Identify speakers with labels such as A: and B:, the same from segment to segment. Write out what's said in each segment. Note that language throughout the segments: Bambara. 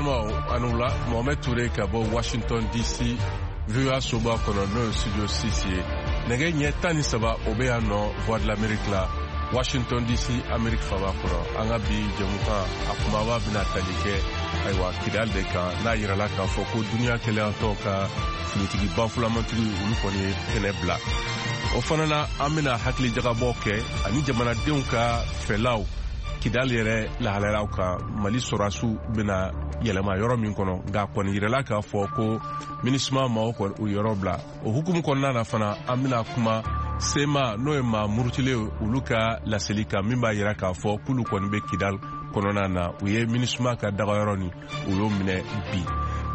A: Balimaw, a ni wula. Mohamed Toure ka bɔ Washington DC, VOA soba kɔnɔ, n'o ye studio 6 ye. Nɛgɛ ɲɛ 13, o bɛ yan nɔ, Voix de l'Amérique la, Washington DC, Amérique faba kɔnɔ. An ka bi jɛmukan, a kumaba bɛna tali kɛ, ayiwa, Kidal de kan, n'a yirala k'a fɔ ko duniya kelenyatɔn ka finitigi bafulamantigi, olu kɔni ye kɛnɛ bila. O fana na, an bɛna hakilijagabɔ kɛ ani jamanadenw ka fɛlaw Kidal yɛrɛ lahalayaw kan. Mali sɔrɔdasiw bɛna yɛlɛma yɔrɔ min kɔnɔ, nka kɔni yirala k'a fɔ ko MINUSMA maaw kɔni u yɔrɔ bila. O hukumu kɔnɔna na fana, an bɛna kuma CMA, n'o ye maa murutilen, olu ka laseli kan, min b'a yira k'a fɔ k'olu kɔni bɛ Kidal kɔnɔna na, u ye MINUSMA ka dagayɔrɔ ni u y'o minɛ bi.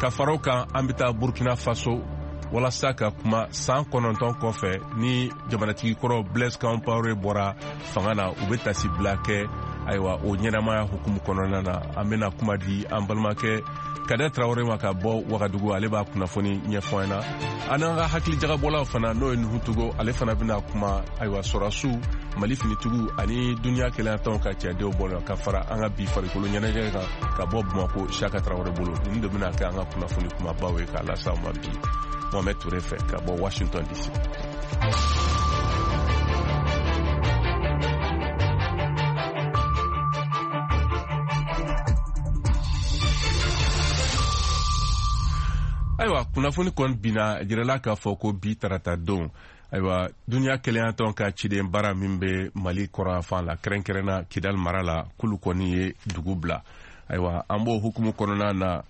A: Ka fara o kan, an bɛ taa Burkina Faso walasa ka kuma san 9 kɔfɛ ni jamanatigi kɔrɔ Blaise Compaoré bɔra fanga na, u bɛ tasibila kɛ. Ayiwa, o ɲɛnamaya hukumu kɔnɔna na, an bɛna kuma di an balimakɛ Kadɛ Tarawele ma ka bɔ Wagadugu. Ale b'a kunnafoni ɲɛfɔ an na. An n'an ka hakilijagabɔlaw fana, n'o ye Nuhu Togo, ale fana bɛna kuma, ayiwa, sɔrɔdasiw, Mali finitigiw ani duniya kelenyatɔnw ka cɛdenw bɔ, ka fara an ka bi farikolo ɲɛnajɛ kan ka bɔ Bamako, Siyaka Tarawele bolo. Ninnu de bɛna kɛ an ka kunnafoni kumabaw ye k'a lase aw ma bi, Mohamed Toure fɛ ka bɔ Washington DC. Ayiwa, kunnafoni kɔni binna, jirala k'a fɔ ko bi tarata don, ayiwa, duniya kelenyatɔn ka ciden baara min bɛ Mali kɔrɔnyanfan la, kɛrɛnkɛrɛnna Kidal mara la, k'olu kɔni ye dugu bila. Ayiwa, an b'o hukumu kɔnɔna na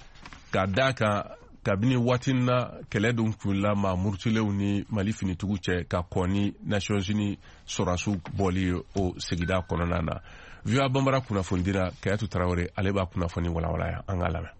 A: ka da kan kabini waati na kɛlɛ dun kunla maa murutilenw ni Mali finitigiw cɛ ka kɔn ni Nations Unies sɔrɔdasiw bɔli ye o sigida kɔnɔna na. VOA Banbara kunnafonidira Kayatu Tarawele, ale b'a kunnafoni walawala, an k'a lamɛn.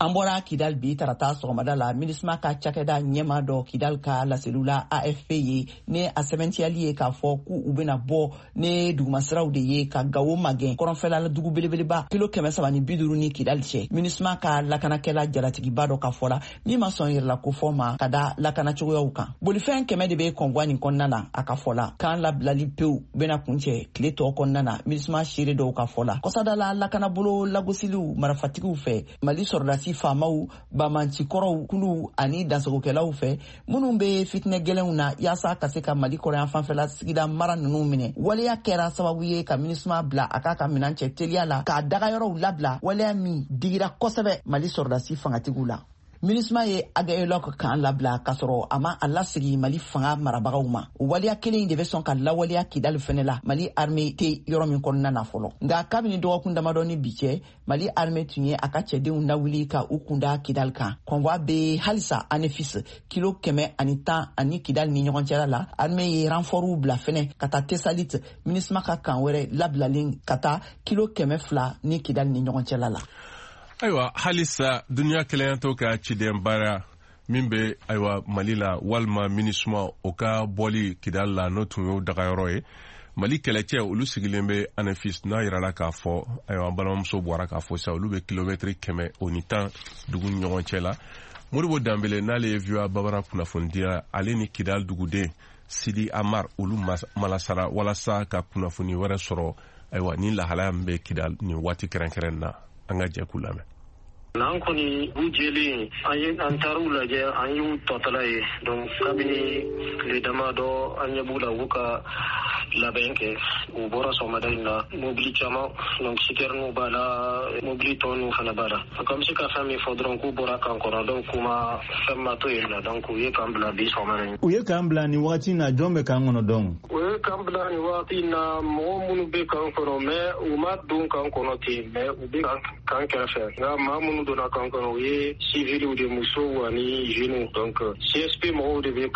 B: An bɔra Kidal bi tarata sɔgɔmada la. MINUSMA ka cakɛda ɲɛma dɔ Kidal ka laseliw la AFP ye, ni a sɛbɛntiyali ye k'a fɔ k'u u bɛna bɔ ne dugumasiraw de ye ka Gawo magɛn, kɔrɔnfɛla dugu belebeleba, kilo 350 ni Kidal cɛ. MINUSMA ka lakanakɛla jalatigiba dɔ ka fɔ la, min ma sɔn yɛrɛla kofɔ ma ka da lakana cogoyaw kan, bolifɛn 100 de bɛ convoi nin kɔnɔna na. A ka fɔ la, kan labilali pewu bɛna kuncɛ tile tɔ kɔnɔna na. MINUSMA seere dɔw ka fɔ la, kɔsadala lakanabolo lagosiliw marafatigiw fɛ, Mali sɔrɔdasi faamaw, bamancikɔrɔw kuluw ani dansagokɛlaw fɛ, minnu bɛ fitinɛ gɛlɛnw na yaasa ka se ka Mali kɔrɔyan fanfɛla sigida mara ninnu minɛ, waleya kɛra sababu ye ka MINUSMA bila a k'a ka minan cɛ teliya la k'a dagayɔrɔw labila, waleya min digira kosɛbɛ Mali sɔrɔdasi fangatigiw la. MINUSMA ye Aguelhok kan labila k'a sɔrɔ a ma a lasegi Mali fanga marabagaw ma. O waleya kelen de bɛ sɔn ka lawaleya Kidali fɛnɛ la, Mali armée tɛ yɔrɔ min kɔnɔna na fɔlɔ. Nka kabini dɔgɔkun damadɔ ni bi cɛ, Mali armée tun ye a ka cɛdenw lawuli ka u kunda Kidal kan. Convoi bɛ halisa Anefis, kilo 110 ani Kidal ni ɲɔgɔn cɛla la. Armée ye renfortw bila fɛnɛ ka taa Tesalit, MINUSMA ka kan wɛrɛ labilalen ka taa kilo 200 ni Kidal ni ɲɔgɔn cɛla la.
A: Ayiwa, halisa duniya kelenyatɔn ka ciden baara min bɛ, ayiwa, Mali la, walima MINUSMA, o ka bɔli Kidal la, n'o tun y'o dagayɔrɔ ye, Mali kɛlɛcɛ olu sigilen bɛ Anefis, n'a yirala k'a fɔ, ayiwa, an balimamuso bɔra k'a fɔ sisan, olu bɛ kilomɛtiri 110 dugu ni ɲɔgɔn cɛ la. Modibo Danbele, n'ale ye VOA Babara kunnafonidila, ale ni Kidal duguden Sidi Amar, olu malasara walasa ka kunnafoni wɛrɛ sɔrɔ, ayiwa, ni lahalaya min bɛ Kidal nin waati kɛrɛnkɛrɛn na. An ka jɛ k'u lamɛn.
C: N'an kɔni u jɛlen, an ye an taar'u lajɛ, an y'u tɔtala ye. Donc kabini tile damadɔ, an ɲɛ b'u la, u ka labɛn kɛ. U bɔra sɔgɔmada in na, mobili caman, donc citernew b'a la, mobili tɔ ninnu fana b'a la. Donc an bɛ se ka fɛn min fɔ dɔrɔn, k'u bɔra kan kɔnɔ, donc k'u ma fɛn ma to yen nɔ. Donc u ye kan bila bi sɔgɔmada in.
D: U ye kan bila nin wagati in na, jɔn bɛ kan kɔnɔ donc?
C: U ye kan bila nin wagati in na, mɔgɔ minnu bɛ kan kɔnɔ, mais u ma don kan kɔnɔ ten, mais u bɛ kan kɛrɛfɛ. Nka maa minnu donna kan kɔnɔ, u ye civiliw de, musow ani jeunes. Donc CSP mɔgɔw de bɛ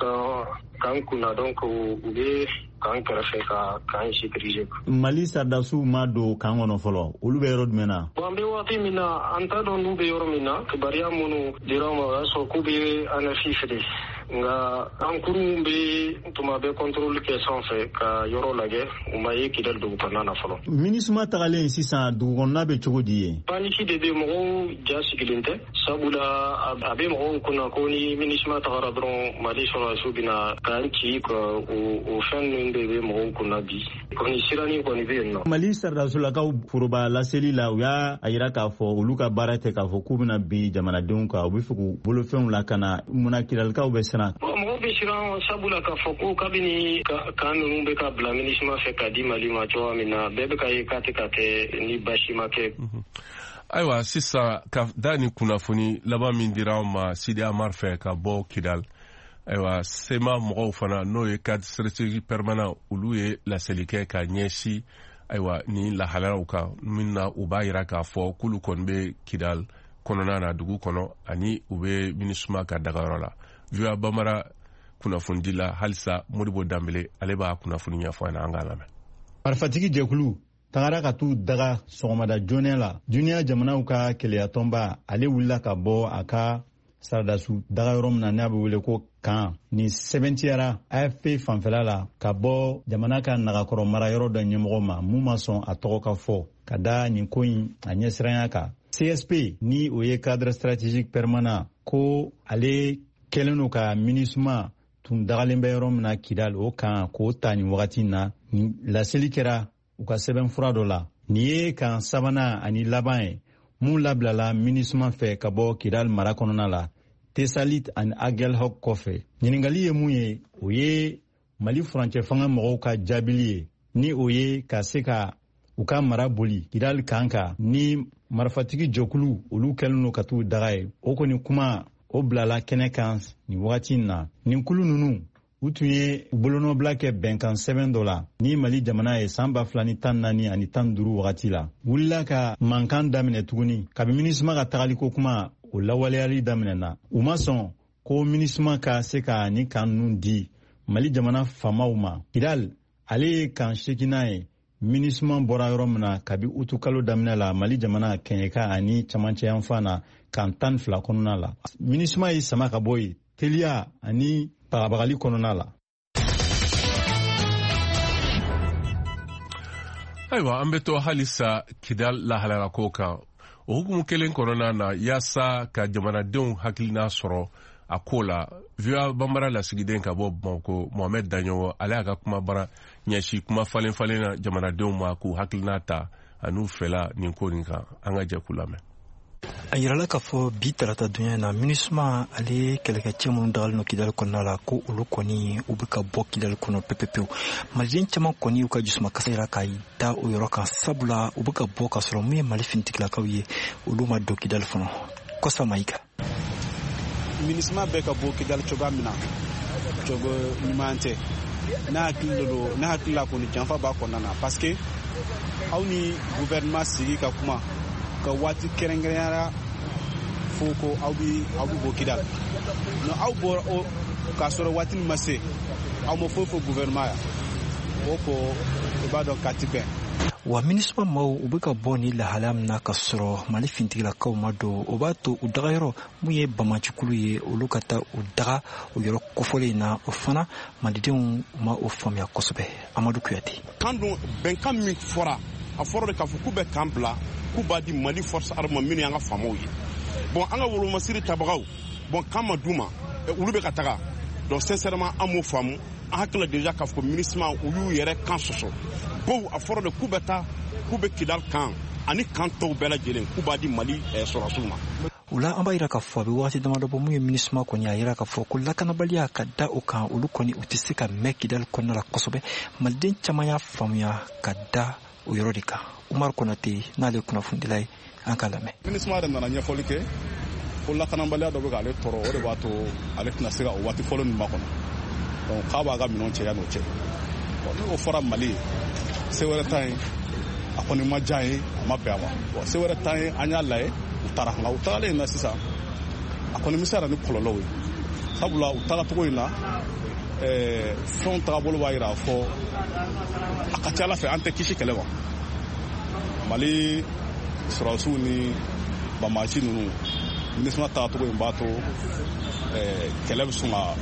C: kan kunna, donc u bɛ kan kɛrɛfɛ ka kan sécuriser.
D: Mali sardasiw ma don kan kɔnɔ fɔlɔ, olu bɛ yɔrɔ jumɛn na?
C: Bon, an bɛ waati min na, an t'a dɔn n'u bɛ yɔrɔ min na. Kibaruya minnu dira ma, o y'a sɔrɔ k'u bɛ Anefis de. Nka an kurunw bɛ tuma bɛ contrôle kɛ sanfɛ ka yɔrɔ lajɛ, u ma ye Kidali dugu kɔnɔna na fɔlɔ.
D: MINUSMA tagalen sisan, dugu kɔnɔna bɛ cogo di ye?
C: Panique de bɛ, mɔgɔw ja sigilen tɛ, sabula a bɛ mɔgɔw kunna ko ni MINUSMA tagara dɔrɔn, Mali sɔrɔdasiw bɛna k'an ci ka o fɛn ninnu de bɛ mɔgɔw kunna bi. Kɔni siranin kɔni bɛ yen nɔ.
D: Mali sɔrɔdasolakaw foroba laseli la, u y'a yira k'a fɔ olu ka baara tɛ k'a fɔ k'u bɛna bin jamanadenw kan, u bɛ fɛ k'u bolofɛnw lakana. Munna Kidalikaw bɛ siran?
C: Mɔgɔw bɛ siran, sabula k'a fɔ ko kabini kan ninnu bɛ ka bila MINUSMA fɛ ka di Mali ma cogoya min na, bɛɛ bɛ ka ye k'a tɛ ka kɛ ni baasi ma kɛ.
A: Ayiwa, sisan ka da ni kunnafoni laban min dira anw ma Sidi Amar fɛ ka bɔ Kidal, ayiwa, CMA mɔgɔw fana, n'o ye cadre stratégique permanent, olu ye laseli kɛ ka ɲɛsin, ayiwa, ni lahalayaw kan min na, u b'a yira k'a fɔ k'olu kɔni bɛ Kidal kɔnɔna na, dugu kɔnɔ, ani u bɛ MINUSMA ka dagayɔrɔ la. VOA Bambara kunnafonidi la halisa, Modibo Danbele, ale b'a kunnafoni ɲɛfɔ an ɲɛna, an k'a lamɛn.
D: Marifatigi jɛkulu tagara ka t'u daga sɔgɔmada joona la. Duniya jamanaw ka kelenyatɔnba, ale wulila ka bɔ a ka saradasu dagayɔrɔ min na, n'a bɛ wele ko kan nin, sɛbɛntiyara AFP fanfɛla la ka bɔ jamana ka nagakɔrɔ marayɔrɔ dɔ ɲɛmɔgɔ ma, mun ma sɔn a tɔgɔ ka fɔ, ka da nin ko in a ɲɛsiranya kan. CSP, ni o ye cadre stratégique permanent, ko ale kɛlen don ka MINUSMA tun dagalen bɛ yɔrɔ min na Kidal, o kan k'o ta nin wagati na. Nin laseli kɛra u ka sɛbɛnfura dɔ la. Nin ye kan sabanan ani laban ye mun labilala MINUSMA fɛ ka bɔ Kidal mara kɔnɔna la, Tesalit ani Agelhok kɔfɛ. Ɲiningali ye mun ye, o ye Mali furancɛ fanga mɔgɔw ka jaabili ye, ni o ye ka se ka u ka mara boli Kidal kan kan ni marifatigi jɛkulu olu kɛlen don ka t'u daga ye. O kɔni kuma o bilala kɛnɛ kan nin wagati in na. Nin kulu ninnu, u tun ye bolonɔbila kɛ bɛnkan sɛbɛn dɔ la ni Mali jamana ye san 2014 ani 15 wagati la. Wulila ka mankan daminɛ tuguni kabi MINUSMA ka tagaliko kuma o lawaleyali daminɛna. U ma sɔn ko MINUSMA ka se ka ni kan ninnu di Mali jamana faamaw ma. Kidal, ale ye kan seeginnan ye MINUSMA bɔra yɔrɔ min na kabi utukalo daminɛ la, Mali jamana kɛɲɛka ani camancɛ yanfan na, kan 12 kɔnɔna la. MINUSMA ye sama ka bɔ yen teliya ani bagabagali kɔnɔna la.
A: Ayiwa, an bɛ to halisa Kidal lahalayala ko kan. O hukumu kelen kɔnɔna na, yaasa ka jamanadenw hakilina sɔrɔ a ko la, VOA Bambara lasigiden ka bɔ Bamako, Mohamɛd Daɲɔgɔ, ale y'a ka kuma bara ɲɛsin kuma falen falen na jamanadenw ma k'u hakilina ta an'u fɛla nin ko nin kan. An ka jɛ k'u lamɛn.
E: A yirala k'a fɔ bi tarata dunya na, MINUSMA ale kɛlɛkɛcɛ minnu dagalen don Kidali kɔnɔna la, ko olu kɔni u bɛ ka bɔ Kidali kɔnɔ pepepewu. Maliden caman kɔni y'u ka jusumakasa yira ka da o yɔrɔ kan, sabula u bɛ ka bɔ ka sɔrɔ mun ye Mali finitigilakaw ye, olu ma don Kidali fɔlɔ. Kɔsa Mayiga.
F: MINUSMA bɛ ka bɔ Kidali cogoya min na, cogo ɲuman tɛ. Ne hakili de don, ne hakili la kɔni, janfa b'a kɔnɔna na, parce que aw ni gouvernement sigi ka kuma ka waati kɛrɛnkɛrɛnyara fo ko aw bi bɔ Kidali. Non, aw bɔra o k'a sɔrɔ waati min ma se, aw ma foyi fɔ gouvernement ya o ko, i b'a dɔn k'a ti bɛn.
E: Wa MINUSMA maaw, u bɛ ka bɔ ni lahalaya min na ka sɔrɔ Mali finitigilakaw ma don, o b'a to u dagayɔrɔ mun ye bamacikulu ye, olu ka taa u daga o yɔrɔ kofɔlen in na. O fana, malidenw ma o faamuya kosɛbɛ. Amadu Kuyate.
G: Kan dun, bɛnkan min fɔra, a fɔra de k'a fɔ k'u bɛ kan bila, k'u b'a di Mali force armée minnu y'an ka faamaw ye. Bon, an ka wolomasiri tabagaw, bon, kan ma d'u ma, olu bɛ ka taga. Donc sincèrement, an m'o faamu. An hakili la déjà k'a fɔ ko MINUSMA, u y'u yɛrɛ kan sɔsɔ bawo a fɔra de k'u bɛ taa, k'u bɛ Kidal kan ani kan tɔw bɛɛ lajɛlen, k'u b'a di Mali sɔrɔdasiw ma.
E: O la, an b'a yira k'a fɔ a bɛ wagati damadɔ bɔ, mun ye MINUSMA kɔni, a yira k'a fɔ ko lakanabaliya ka da o kan, olu kɔni u tɛ se ka mɛn Kidali kɔnɔna la kosɛbɛ. Maliden caman y'a faamuya ka da o yɔrɔ de kan. Umar Konate, n'ale ye kunnafonidila ye, an k'a lamɛn.
H: MINUSMA yɛrɛ nana ɲɛfɔli kɛ ko lakanabaliya dɔ bɛ k'ale tɔɔrɔ, o de b'a to ale tɛna se ka o waati fɔlɔ min makɔnɔ. Donc k'a b'a ka minɛnw cɛ yan'o cɛ. Bon, ni o fɔra Mali ye, se wɛrɛ t'an ye. A kɔni ma diya ye, a ma bɛn a ma. Bon, se wɛrɛ t'an ye, an y'a lajɛ, u taara. Nka u tagalen in na sisan, a kɔni bɛ se ka na ni kɔlɔlɔw ye, sabula u tagacogo in na, fɛnw tagabolo b'a yira fɔ a ka ca ala fɛ an tɛ kisi kɛlɛ ma. Mali sɔrɔdasiw ni bamaci ninnu MINUSMA tagacogo in b'a to kɛlɛ bɛ sɔn ka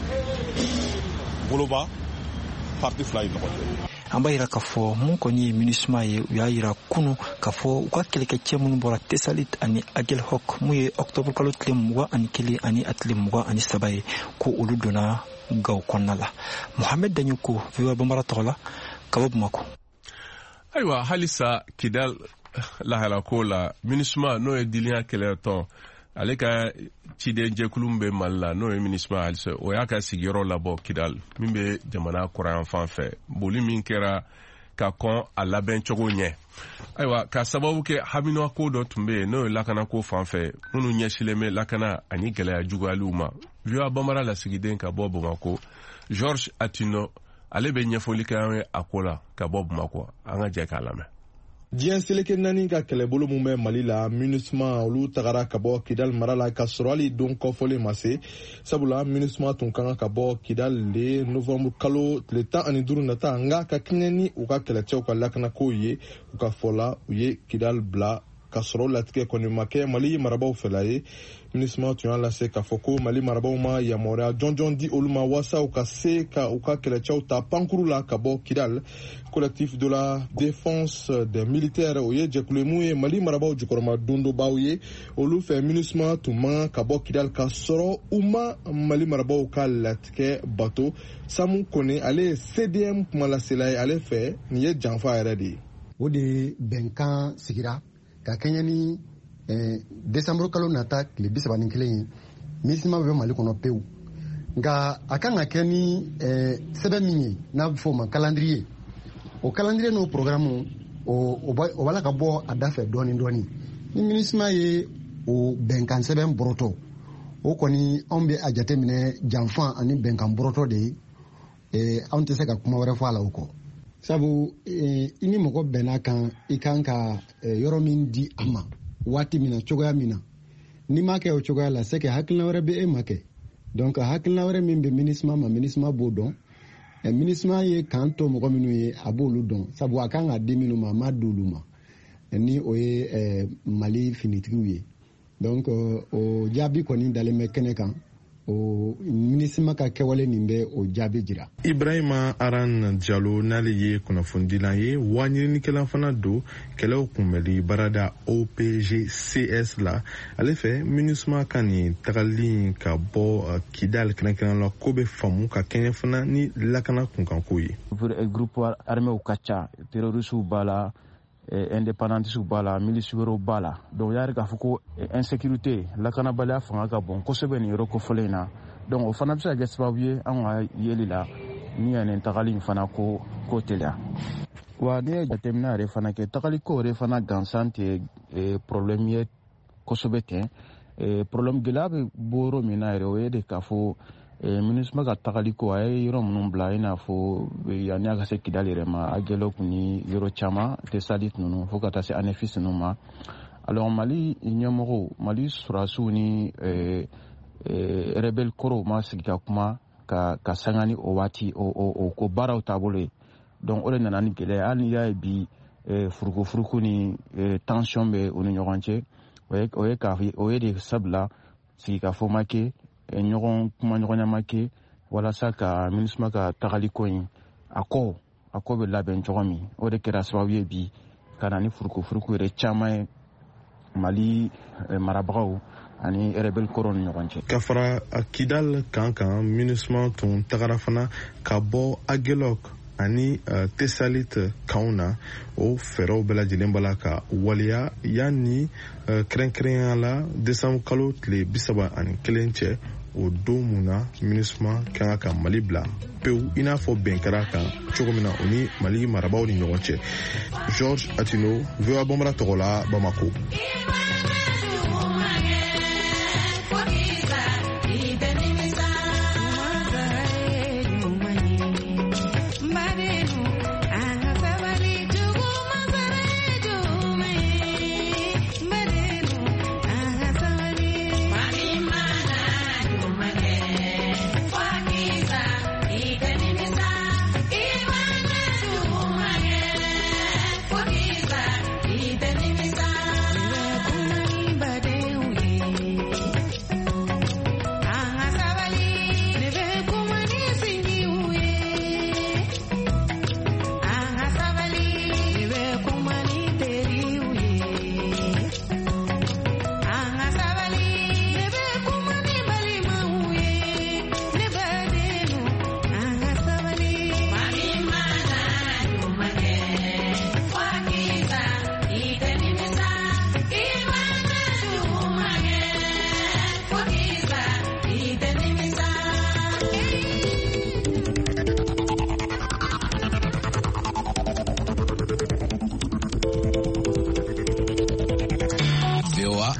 H: boloba parti fila in ɲɔgɔn cɛ.
E: An b'a yira k'a fɔ mun kɔni ye MINUSMA ye, u y'a yira kunu k'a fɔ u ka kɛlɛkɛcɛ minnu bɔra Tessalit ani Aguelhok, mun ye octobre kalo tile 21 ani a tile 23 ye, ko olu donna Gawo kɔnɔna la. Mohamed Dagnoko, VOA Bambara tɔgɔ la, ka bɔ Bamako.
A: Ayiwa, halisa Kidal lahalako la, MINUSMA, n'o ye diliya kɛlɛtɔn, ale ka cidenjɛkulu min bɛ Mali la, n'o ye MINUSMA halisa, o y'a ka sigiyɔrɔ labɔ Kidal min bɛ jamana kɔrɔyan fɛ, boli min kɛra ka kɔn a labɛn cogo ɲɛ. Ayiwa, ka sababu kɛ haminako dɔ tun bɛ yen, n'o ye lakanako fan fɛ, minnu ɲɛsilen bɛ lakana ani gɛlɛya juguyaliw ma. VOA Bambara lasigiden ka bɔ Bamako, George Atino, ale bɛ ɲɛfɔli kɛ an ye a ko la ka bɔ Bamako. An ka jɛ k'a lamɛn.
I: Diɲɛ seleke naani ka kɛlɛbolo mun bɛ Mali la, MINUSMA, olu tagara ka bɔ Kidal mara la ka sɔrɔ hali don kɔfɔlen ma se, sabula MINUSMA tun ka kan ka bɔ Kidal de novembre kalo tile 15 nata. Nka ka kɛɲɛ ni u ka kɛlɛcɛw ka lakanako ye, u ka fɔ la, u ye Kidal bila ka sɔrɔ latigɛ kɔni ma kɛ Mali marabaw fɛla ye. MINUSMA tun y'a lase k'a fɔ ko Mali marabaw ma yamaruya jɔnjɔn di olu ma waasa u ka se ka u ka kɛlɛcɛw ta pankuru la ka bɔ Kidal. Collectif de la défense des militaires, o ye jɛkulu ye mun ye Mali marabaw jukɔrɔma dondobaw ye, olu fɛ MINUSMA tun man ka bɔ Kidal ka sɔrɔ u ma Mali marabaw ka latigɛ bato. Samu Kone, ale ye CDM kumalasela ye, ale fɛ nin ye janfa yɛrɛ de ye.
J: O de bɛnkan sigira ka kɛɲɛ ni desanburu kalo nata tile 31 ye, MINUSMA bɛ Mali kɔnɔ pewu. Nka a kan ka kɛ ni sɛbɛn min ye n'a bɛ fɔ o ma calendrier, o calendrier n'o programme, o b'a la ka bɔ a da fɛ dɔɔni dɔɔni. Ni MINUSMA ye o bɛnkan sɛbɛn bɔrɔtɔ, o kɔni anw bɛ a jateminɛ janfa ani bɛnkan bɔrɔtɔ de ye. Anw tɛ se ka kuma wɛrɛ fɔ a la o kɔ, sabu i ni mɔgɔ bɛnna kan, i kan ka yɔrɔ min di a ma waati min na, cogoya min na, n'i m'a kɛ o cogoya la, c'est que hakilina wɛrɛ bɛ e ma kɛ. Donc hakilina wɛrɛ min bɛ MINUSMA ma, MINUSMA b'o dɔn. MINUSMA ye kan to mɔgɔ minnu ye, a b'olu dɔn, sabu a kan ka di minnu ma, a ma di olu ma, ni o ye Mali finitigiw ye. Donc o jaabi kɔni dalen bɛ kɛnɛ kan. O MINUSMA ka kɛwale nin bɛ o jaabi jira.
I: Ibrahima Aran Jalo, n'ale ye kunnafonidilan ye wa ɲininikɛla fana don kɛlɛw kunbɛli baarada OPGCS la, ale fɛ MINUSMA ka nin tagali ka bɔ Kidal kɛrɛnkɛrɛn la, ko bɛ faamu ka kɛɲɛ fana ni lakana kunkanko ye.
K: Groupe arméw ka ca, terroristew b'a la, indépendantistes b'a la, milices wɛrɛw b'a la. Donc y'a k'a fɔ ko insécurité, lakanabaliya fanga ka bon kosɛbɛ nin yɔrɔ kofɔlen in na. Donc o fana bɛ se ka kɛ sababu ye anw ka yeli la ni ka nin tagali in fana ko teliya. Wa n'i ye jateminɛ yɛrɛ fana kɛ, tagali ko yɛrɛ fana gansan tɛ problème ye kosɛbɛ ten. Problème gɛlɛya bɛ bɔ yɔrɔ min na yɛrɛ, o ye de k'a fɔ MINUSMA ka tagali ko a ye yɔrɔ minnu bila, i n'a fɔ yanni a ka se Kidali yɛrɛ ma, Aguelhok ni yɔrɔ caman, Tessalit ninnu, fo ka taa se Anefis ninnu ma. Alors Mali ɲɛmɔgɔw, Mali sɔrɔdasiw ni rebelle kɔrɔw ma sigi ka kuma ka sanga ni o waati o ko baaraw taabolo ye. Donc o de nana ni gɛlɛya. Hali n'i y'a ye bi furukufuruku ni tension bɛ u ni ɲɔgɔn cɛ, o ye de sabula sigikafɔ ma kɛ, ɲɔgɔn kumaɲɔgɔnya ma kɛ walasa ka MINUSMA ka tagali ko in a ko bɛ labɛn cogo min. O de kɛra sababu ye bi ka na ni furukufuruku yɛrɛ caman ye Mali marabagaw ani rebelle kɔrɔw ni ɲɔgɔn cɛ.
I: Ka fara Kidal kan MINUSMA tun tagara fana ka bɔ Aguelhok ani Tessalit kanw na. O fɛɛrɛw bɛɛ lajɛlen b'a la ka waleya yanni kɛrɛnkɛrɛnya la desanburu kalo tile 31 cɛ, o don mun na MINUSMA kan ka Mali bila pewu, i n'a fɔ bɛn kɛra kan cogo min na o ni Mali marabaw ni ɲɔgɔn cɛ. George Atino, VOA Bambara tɔgɔ la, Bamako.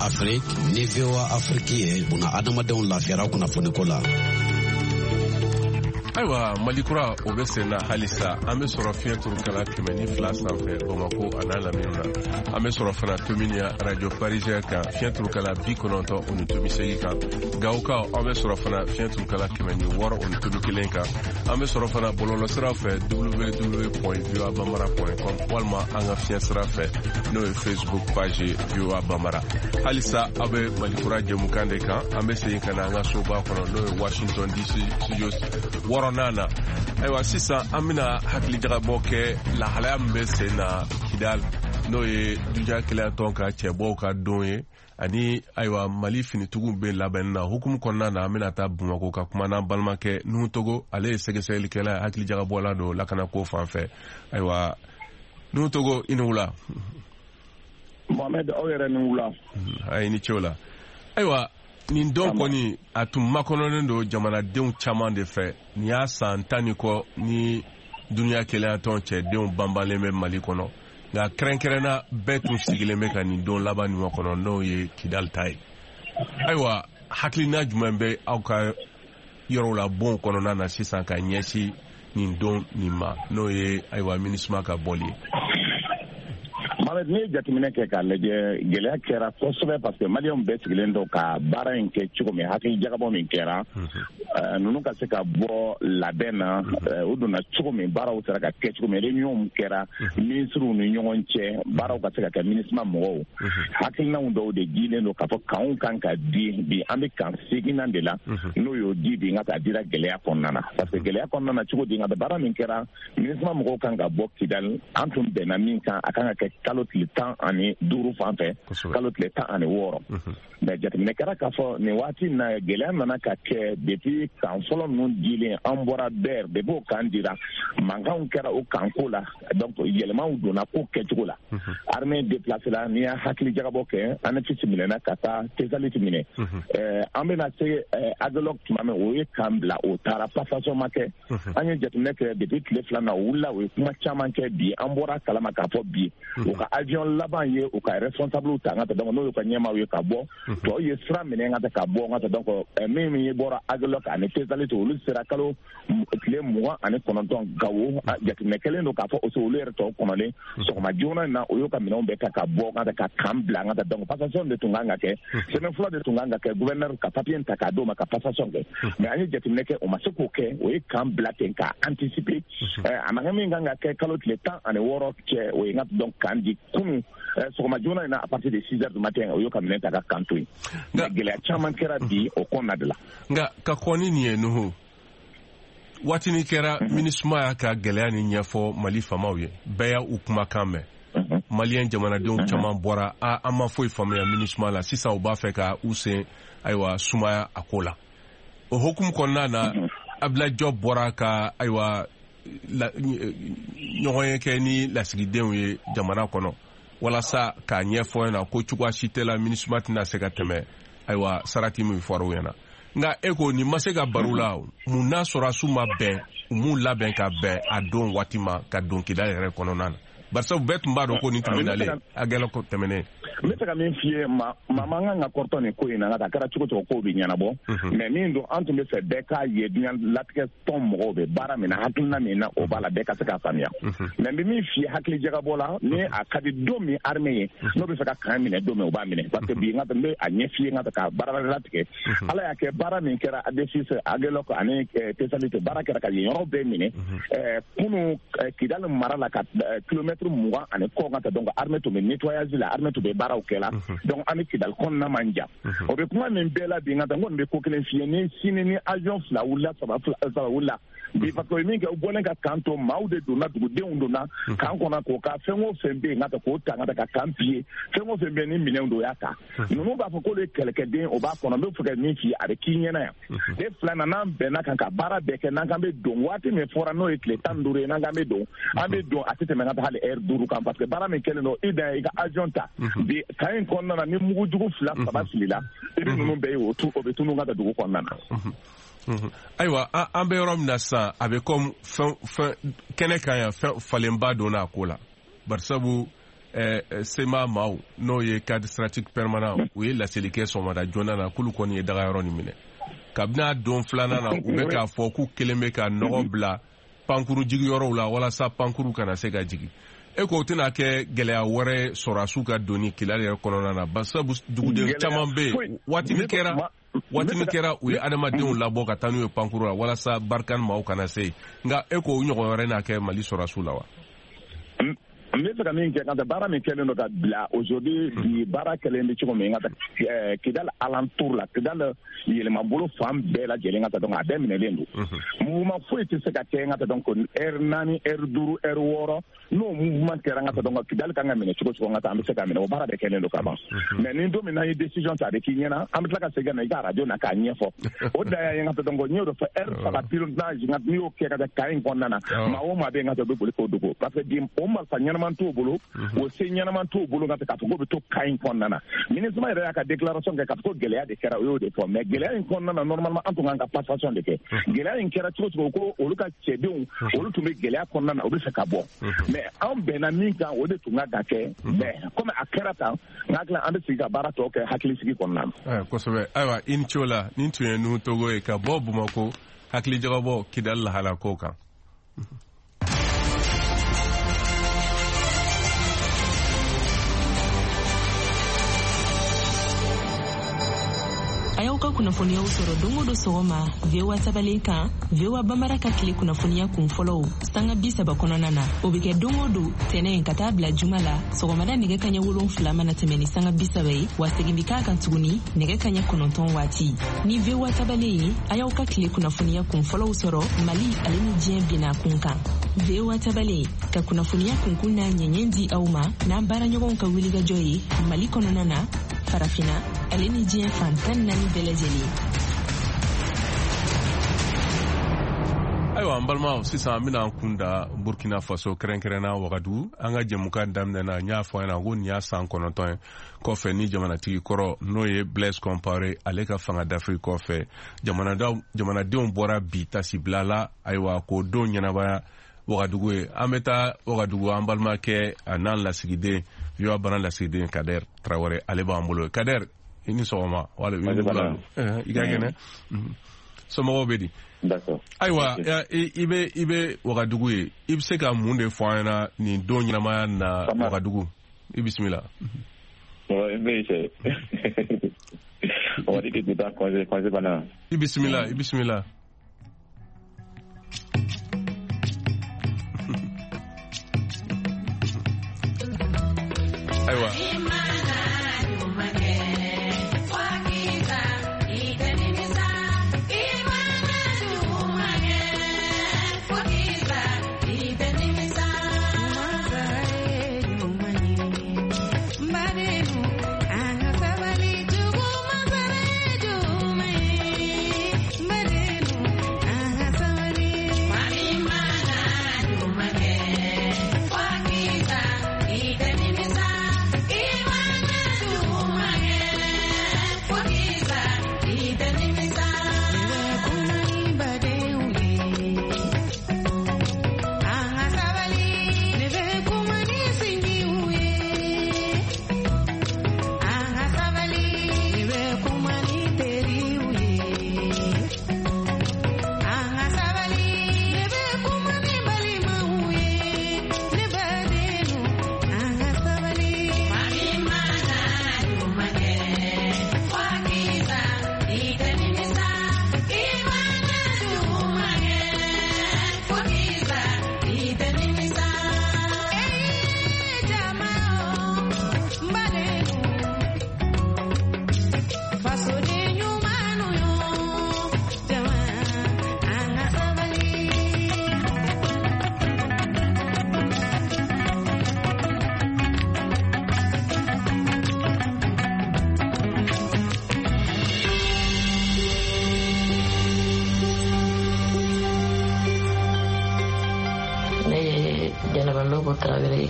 L: Afrique ni VOA Afrique ye buna adamadenw lafiyara kunnafoniko la.
A: Ayiwa, Mali kura o bɛ sen na halisa. An bɛ sɔrɔ fiɲɛ turukala 102 sanfɛ Bamako a n'a lamini na. An bɛ sɔrɔ fana Tominian Radio Parisien kan, fiɲɛ turukala 90.8 kan. Gawokaw, aw bɛ sɔrɔ fana fiɲɛ turukala 106.1 kan. An bɛ sɔrɔ fana bɔlɔlɔsiraw fɛ, www.voabambara.com, walima an ka fiɲɛ sira fɛ, n'o ye Facebook page ye VOA Bambara. Halisa aw bɛ Mali kura jɛmukan de kan. An bɛ segin ka na an ka soba kɔnɔ, n'o ye Washington DC studios wɔɔrɔnan na. Ayiwa, sisan an bɛna hakilijagabɔ kɛ lahalaya min bɛ sen na Kidal, n'o ye Duniya Kelenyatɔn ka cɛbɔw ka don ye, ani ayiwa, Mali finitigiw bɛ labɛnni na. Hukumu kɔnɔna na, an bɛna taa Bamako ka kuma n'an balimakɛ Nuhu Togo. Ale ye sɛgɛsɛgɛlikɛla ye, hakilijagabɔla don lakanako fan fɛ. Ayiwa, Nuhu Togo, i ni wula.
M: Mohamed, aw yɛrɛ ni wula.
A: A ye ni ce o la. Ayiwa, nin don kɔni, a tun makɔnɔnen don jamanadenw caman de fɛ. Nin y'a san 10 ni kɔ ni Duniya Kelenyatɔn cɛdenw banbalen bɛ Mali kɔnɔ, nka kɛrɛnkɛrɛnna bɛɛ tun sigilen bɛ ka nin don laban nin kɔnɔ, n'o ye Kidali ta ye. Ayiwa, hakilina jumɛn bɛ aw ka yɔrɔw la, bonw kɔnɔna na sisan, ka ɲɛsin nin don nin ma, n'o ye ayiwa, MINUSMA ka bɔli ye?
M: Mohamed, n'i ye jateminɛ kɛ k'a lajɛ, gɛlɛya kɛra kosɛbɛ, parce que Maliyɛnw bɛɛ sigilen don ka baara in kɛ cogo min, hakili jagabɔ min kɛra, ninnu ka se ka bɔ labɛn na, u donna cogo min, baaraw sera ka kɛ cogo min, réunion kɛra minisiriw ni ɲɔgɔn cɛ, baaraw ka se ka kɛ. MINUSMA mɔgɔw hakilinaw dɔw de dilen don k'a fɔ kanw kan ka di. Bi an bɛ kan seginnan de la, n'o y'o di bi, nka a dira gɛlɛya kɔnɔna na, parce que gɛlɛya kɔnɔna na cogo di? Nka baara min kɛra, MINUSMA mɔgɔw kan ka bɔ Kidali, an tun bɛnna min kan, a kan ka kɛ kalo tile 15 fan fɛ, kalo tile 16. Mais jateminɛ kɛra k'a fɔ nin waati in na, gɛlɛya nana ka kɛ. Depuis kan fɔlɔ ninnu dilen, an bɔra bɛɛ, depuis o kan dira, mankanw kɛra o kanko la. Donc yɛlɛmaw donna ko kɛcogo la. Armée déplacé la. N'i y'a hakili jagabɔ kɛ, Anefis minɛna ka taa Tesaliti minɛ. An bɛna se Agelok tuma min, o ye kan bila, o taara, passation ma kɛ. An ye jateminɛ kɛ, depuis tile 2 na, o wulila, o ye kuma caman kɛ. Bi an bɔra kalama k'a fɔ bi u ka avion laban ye u ka responsable ta n ka taa, donc n'o y'u ka ɲɛmaaw ye, ka bɔ. Tɔw ye sira minɛ ka taa ka bɔ n ka taa. Donc min ye bɔra Agelok ani Tesaliti, olu sera kalo tile 29 Gawo. Jateminɛ kɛlen don k'a fɔ aussi olu yɛrɛ tɔw kɔnɔlen sɔgɔma joona in na, o y'u ka minɛnw bɛɛ ta ka bɔ ka taa ka kan bila n ka taa. Donc passation de tun kan ka kɛ semaine fɔlɔ de tun kan ka kɛ, gouverneur ka papier ta k'a d'o ma ka passation kɛ. Mais an ye jateminɛ kɛ, o ma se k'o kɛ, o ye kan bila ten k'a anticiper. A ma kɛ min kan ka kɛ kalo tile 16 cɛ, o ye n ka donc kan di kunun sɔgɔma joona in na, à partir de 6 heures du matin, o y'o ka minɛn ta ka kan to yen. Nka gɛlɛya caman kɛra bi o kɔnɔna de la.
A: Nka ka kɔn ni nin ye, Nuhu, waatinin kɛra, MINUSMA y'a ka gɛlɛya ni ɲɛfɔ Mali faamaw ye, bɛɛ y'a u kumakan mɛn. Maliyɛn jamanadenw caman bɔra a an ma foyi faamuya MINUSMA la. Sisan u b'a fɛ ka u sen ayiwa sumaya a ko la. O hukumu kɔnɔna na, Abdoulaye Diop bɔra ka ayiwa ɲɔgɔn ye kɛ ni lasigidenw ye jamana kɔnɔ, walasa k'a ɲɛfɔ ɲɛna ko cogoya si tɛ la MINUSMA tɛna se ka tɛmɛ ayiwa sarati min fɔra u ɲɛna. Nka e ko nin ma se ka baro la, mun n'a sɔrɔsiw ma bɛn, u m'u labɛn ka bɛn a don waati ma ka don Kidali yɛrɛ kɔnɔna na, barisabu bɛɛ tun b'a dɔn ko nin tun bɛ nalen a gɛlɛ tɛmɛnen?
M: N bɛ se ka min f'i ye, ma man kan ka kɔrɔtɔ nin ko in na, nka a kɛra cogo cogo, kow bɛ ɲɛnabɔ. Mais min don, an tun bɛ fɛ bɛɛ k'a ye, diɲɛ latigɛ tɔn mɔgɔw bɛ baara min na, hakilina min na, o b'a la, bɛɛ ka se k'a faamuya. Mais n bɛ min f'i ye, hakili jagabɔ la, ni a ka di don min armée ye, n'o bɛ fɛ ka kan minɛ don min, o b'a minɛ, parce que bi n ka n bɛ a ɲɛ f'i ye, n ka ka baara latigɛ. Ala y'a kɛ, baara min kɛra Anefis, Agelok ani Tesalite, baara kɛra ka yen yɔrɔ bɛɛ minɛ kunu Kidali mara la, ka kilomɛtiri 20 ani kɔ ka taa. Donc armée tun bɛ nettoyage la, armée tun bɛ baaraw kɛ la. Donc an ni Kidali kɔnɔna man jan. O bɛ kuma min bɛɛ la bi, n ka taa, n kɔni bɛ ko kelen f'i ye: ni sini ni avion fila wulila, saba, saba wulila bi, parce que o ye min kɛ, u bɔlen ka kan to, maaw de donna, dugudenw donna kan kɔnɔ k'o ka fɛn o fɛn bɛ yen, ka taa k'o ta, ka taa ka kan piller, fɛn o fɛn bɛ yen ni minɛnw don, o y'a ta. Ninnu b'a fɔ k'olu ye kɛlɛkɛden, o b'a kɔnɔ. N bɛ fɛ ka min f'i ye, a bɛ k'i ɲɛna yan. Ne filanan, n'an bɛnna kan ka baara bɛɛ kɛ, n'an kan bɛ don waati min fɔra, n'o ye tile 15 ye, n'an kan bɛ don, an bɛ don, a tɛ tɛmɛ ka taa hali heure 5 kan, parce que baara min kɛlen don, i dan ye i ka avion ta. Bi kan in kɔnɔna na, ni mugujugu fila saba filila, i bɛ ninnu bɛɛ ye, o bɛ tunun ka taa dugu kɔnɔna na.
A: Ayiwa, an bɛ yɔrɔ min na sisan, a bɛ comme fɛn fɛn kɛnɛ kan yan, fɛn falenba donna a ko la, barisabu CMA maaw, n'o ye cadre stratégique permanent, u ye laseli kɛ sɔgɔmada joona na k'olu kɔni ye dagayɔrɔ nin minɛ. Kabini a don filanan na, u bɛ k'a fɔ k'u kelen bɛ ka nɔgɔ bila pankuru jigiyɔrɔw la walasa pankuru kana se ka jigin. E ko o tɛna kɛ gɛlɛya wɛrɛ sɔrɔdasiw ka donni Kidali yɛrɛ kɔnɔna na, basabu duguden caman bɛ yen. Waati min kɛra u ye adamadenw labɔ ka taa n'u ye pankuru la walasa Barkhane maaw kana se yen. Nka e ko o ɲɔgɔn wɛrɛ n'a kɛ Mali sɔrɔdasiw la wa?
M: N bɛ fɛ ka min kɛ, ka taa baara min kɛlen don ka bila aujourd'hui, bi baara kɛlen bɛ cogo min ka taa Kidali alentour la, Kidali yɛlɛmabolo fan bɛɛ lajɛlen ka taa, donc a bɛɛ minɛlen don. Mouvement foyi tɛ se ka kɛ ka taa, donc heure 4, heure 5, heure 6, n'o mouvement kɛra ka taa, donc Kidali kan ka minɛ cogo cogo ka taa, an bɛ se ka minɛ, o baara bɛɛ kɛlen don ka ban. Mais ni don min n'an ye décision ta, a bɛ k'i ɲɛna, an bɛ tila ka segin ka na i ka radio na k'a ɲɛfɔ. O dan y'a ye ka taa, donc n y'o de fɔ, heure 3 pilotage n'i y'o kɛ ka taa camp in kɔnɔna na, maa o maa bɛ yen ka taa, u bɛ boli k'o dogo, parce que bi o marifa ɲɛnama t'o bolo, o se ɲɛnama t'o bolo ka k'a fɔ k'o bɛ to camp in kɔnɔna na. MINUSMA yɛrɛ y'a ka déclaration kɛ k'a fɔ ko gɛlɛya de kɛra, o y'o de fɔ. Mais gɛlɛya in kɔnɔna na, normalement an tun kan ka passation de kɛ. Gɛlɛya in kɛra cogo cogo, ko olu ka cɛdenw, olu tun bɛ gɛlɛya kɔnɔna na, u bɛ fɛ ka bɔ. Mais anw bɛnna min kan, o de tun ka kɛ. Mais comme a kɛra tan, n hakili an bɛ sigi ka baara tɔ kɛ hakilisigi kɔnɔna na.
A: Kosɛbɛ. Ayiwa, i ni ce o la. Nin tun ye Nuhu Togo ye ka bɔ Bamakɔ, hakilijagabɔ Kidali lahala ko kan.
N: A y'aw ka kunnafoniyaw sɔrɔ don o don sɔgɔma VOA tabalen kan, VOA Bambara ka tile kunnafoniya kun fɔlɔw sanga 30 kɔnɔna na. O bɛ kɛ don o don tɛnɛn ka taa bila juma la sɔgɔmada nɛgɛ kaɲɛ 7 mana tɛmɛ ni sanga 30 ye, wa segin bɛ k'a kan tuguni nɛgɛ kaɲɛ 9 waati. Ni VOA tabalen ye, a y'aw ka tile kunnafoniya kun fɔlɔw sɔrɔ Mali ale ni diɲɛ binna kun kan. VOA tabalen ka kunnafoniya kunkun n'a ɲɛɲɛ di aw ma n'an baaraɲɔgɔnw ka wulikajɔ ye Mali kɔnɔna na, Farafina ale ni diɲɛ fan 14 bɛɛ lajɛlen.
A: Ayiwa, an balimaw, sisan an bɛna an kun da Burkina Faso, kɛrɛnkɛrɛnna Wagadugu. An ka jɛmukan daminɛ na, n y'a fɔ an ɲɛna ko nin y'a san 9 ye kɔfɛ ni jamanatigi kɔrɔ, n'o ye Blaise Compaoré, ale ka fanga dafiri kɔfɛ, jamanadenw bɔra bi tasibila la. Ayiwa, k'o don ɲɛnabaya Wagadugu ye. An bɛ taa Wagadugu, an balimakɛ a n'an lasigiden, VOA Bana lasigiden Kader Traoré, ale b'an bolo. Kader, i ni sɔgɔma. Wala i ka kɛnɛ, somɔgɔw bɛ di? Ayiwa, i bɛ Wagadugu ye, i bɛ se ka mun de fɔ an ɲɛna nin don ɲɛnamaya na Wagadugu? I bisimila. I bisimila, i bisimila. Ayiwa.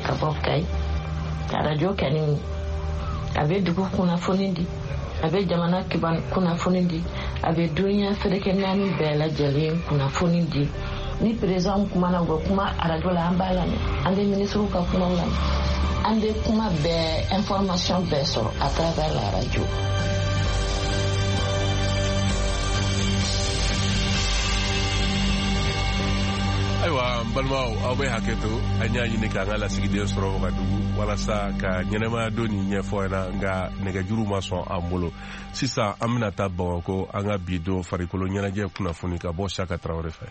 O: Ka bɔ Kayi, arajo kɛni a bɛ dugu kunnafoni di, a bɛ jamana kunnafoni di, a bɛ duniya seleke 4 bɛɛ lajɛlen kunnafoni di. Ni président kumana, u bɛ kuma arajo la, an b'a lamɛn. An bɛ ministres ka kumaw lamɛn, an bɛ kuma bɛɛ, information bɛɛ sɔrɔ à travers la radio.
A: Ayiwa, n balimaw, aw bɛ hakɛ to, an y'a ɲini k'an ka lasigiden sɔrɔ Wagadugu walasa ka ɲɛnɛmaya don nin ɲɛfɔ ɲɛna, nka nɛgɛjuru ma sɔn an bolo. Sisan an bɛna taa Bamakɔ, an ka bi don farikolo ɲɛnajɛ kunnafoni ka bɔ Saka Tarawele fɛ.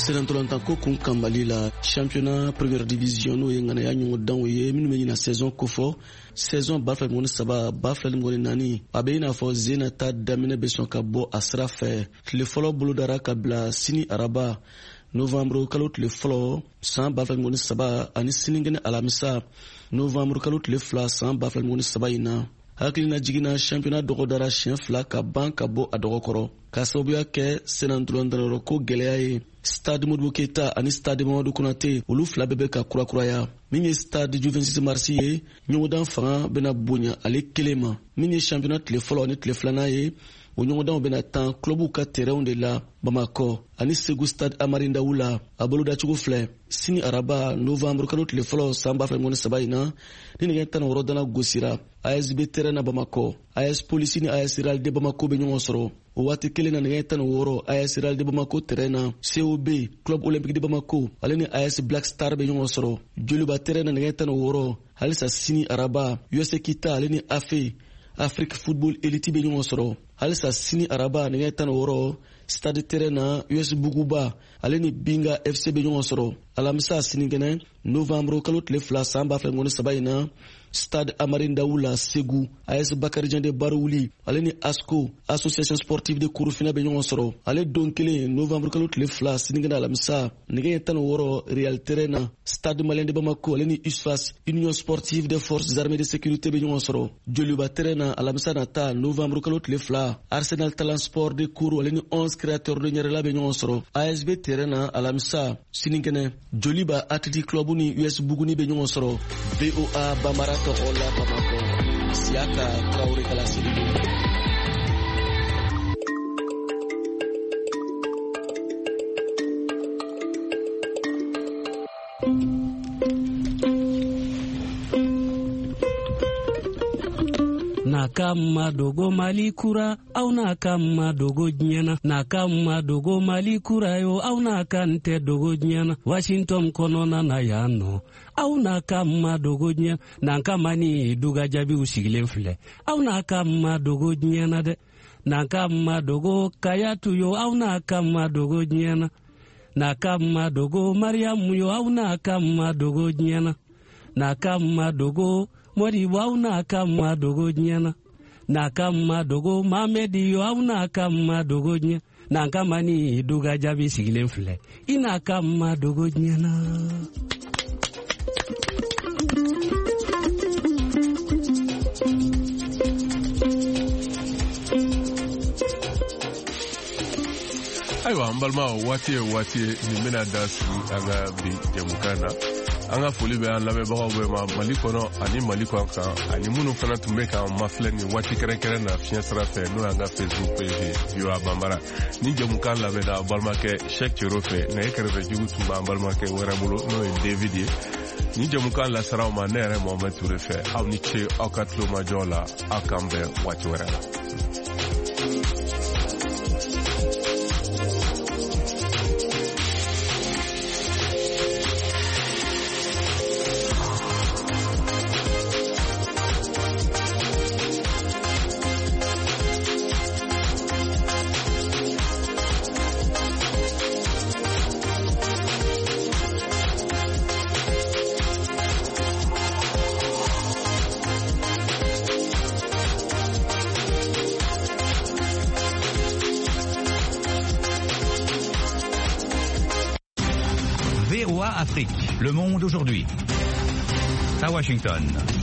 P: Senatɔlantanko kun kan Mali la, championnat première division, n'o ye ŋanaya ɲɔgɔndanw ye minnu bɛ ɲina saison kofɔ, saison 2023 2024, a bɛ i n'a fɔ zena ta daminɛ bɛ sɔn ka bɔ a sira fɛ. Tile fɔlɔ bolodara ka bila sini araba, novembre kalo tile fɔlɔ san 2023, ani sinikɛnɛ alamisa, novembre kalo tile 2 san 2023 in na. Hakilina jiginna, championnat dɔgɔdara siɲɛ fila ka ban ka bɔ a dɔgɔkɔrɔ k'a sababuya kɛ senatɔlantanyɔrɔ ko gɛlɛya ye. Stade Modibo Keita ani Stade Mamadu Konate, olu fila bɛɛ bɛ ka kurakuraya. Min ye Stade du 26 mars ye, ɲɔgɔndan fanga bɛna bonya ale kelen ma. Min ye championnat tile fɔlɔ ani tile filanan ye, o ɲɔgɔndanw bɛna tan clubw ka terrainw de la Bamakɔ ani Segu, Stade Amari Ndawu la. A bolodacogo filɛ: sini araba, novembre kalo tile fɔlɔ san 2023 in na, ni nɛgɛ 16 dana gosira, ASB terrain na Bamakɔ, AS Polisi ni AS Real de Bamako bɛ ɲɔgɔn sɔrɔ. O waati kelen na, nɛgɛ 16, AS Real de Bamako terrain na, COB, Club Olympique de Bamako, ale ni AS Black Star bɛ ɲɔgɔn sɔrɔ. Joliba terrain na, nɛgɛ 16 halisa sini araba, US Kita ale ni AFE, Afrique Football Elite, bɛ ɲɔgɔn sɔrɔ. Halisa sini araba, nɛgɛ 16, Stade terrain na, US Buguba ale ni Binga FC bɛ ɲɔgɔn sɔrɔ. Alamisa, sinikɛnɛ, novembre kalo tile 2 san 2023 in na, Stade Amari Ndawu la Segu, AS Bakarijan de Baruwuli ale ni ASCO, Association Sportive de Kurufina, bɛ ɲɔgɔn sɔrɔ. Ale don kelen, novembre kalo tile 2, sinikɛnɛ alamisa, nɛgɛ 16, Real terrain na, Stade Malien de Bamako ale ni USFAS, Union Sportive des Forces Armées de Sécurité, bɛ ɲɔgɔn sɔrɔ. Joliba terrain na, alamisa nata, novembre kalo tile 2, Arsenal Talent Sport de Kourou ale ni 11 Créateurs de Ɲɛrɛla bɛ ɲɔgɔn sɔrɔ. ASB terrain na, alamisa, sinikɛnɛ, Joliba Athletic Club ni US Buguni bɛ ɲɔgɔn sɔrɔ. VOA Bambara tɔgɔ la Bamakɔ, Siyaka Tarawele ka laseli don.
Q: N'a ka madogo Mali kura, aw n'a ka madogo diɲɛ na. N'a ka madogo Mali kura yo, aw n'a ka n tɛ dogo diɲɛ na. Washington kɔnɔna na yan nɔ, aw n'a ka madogo diɲɛ n'an ka mani duga jaabiw sigilen filɛ. Aw n'a ka madogo diɲɛ na dɛ. N'an ka madogo Kayatu yo, aw n'a ka madogo diɲɛ na. N'a ka madogo Mariyamu yo, aw n'a ka madogo diɲɛ na. N'a ka madogo Modibo, aw n'a ka madogo diɲɛ na. N'a ka madogo Mamedi yo, aw n'a ka madogo diɲɛ n'an ka mani duga jaabi sigilen filɛ. I n'a ka madogo diɲɛ na.
A: Ayiwa, n balimaw, waati ye waati ye nin bɛna da sigi an ka bi jɛmukan na. An ka foli bɛ an lamɛnbagaw bɛɛ ma Mali kɔnɔ ani Mali kɔ kan, ani minnu fana tun bɛ k'an mafilɛ nin waati kɛrɛnkɛrɛn na fiɲɛ sira fɛ, n'o y'an ka Facebook page ye, VOA Bambara. Ni jɛmukan labɛnna aw balimakɛ Cheick Cero fɛ, nɛgɛ kɛrɛfɛ jugu tun b'an balimakɛ wɛrɛ bolo, n'o ye David ye. Ni jɛmukan lasera aw ma ne yɛrɛ Mohamed Toure fɛ. Aw ni ce aw ka tulomajɔ la. Aw k'an bɛn waati wɛrɛ la.
R: VOA Afrique, le monde aujourd'hui. À Washington.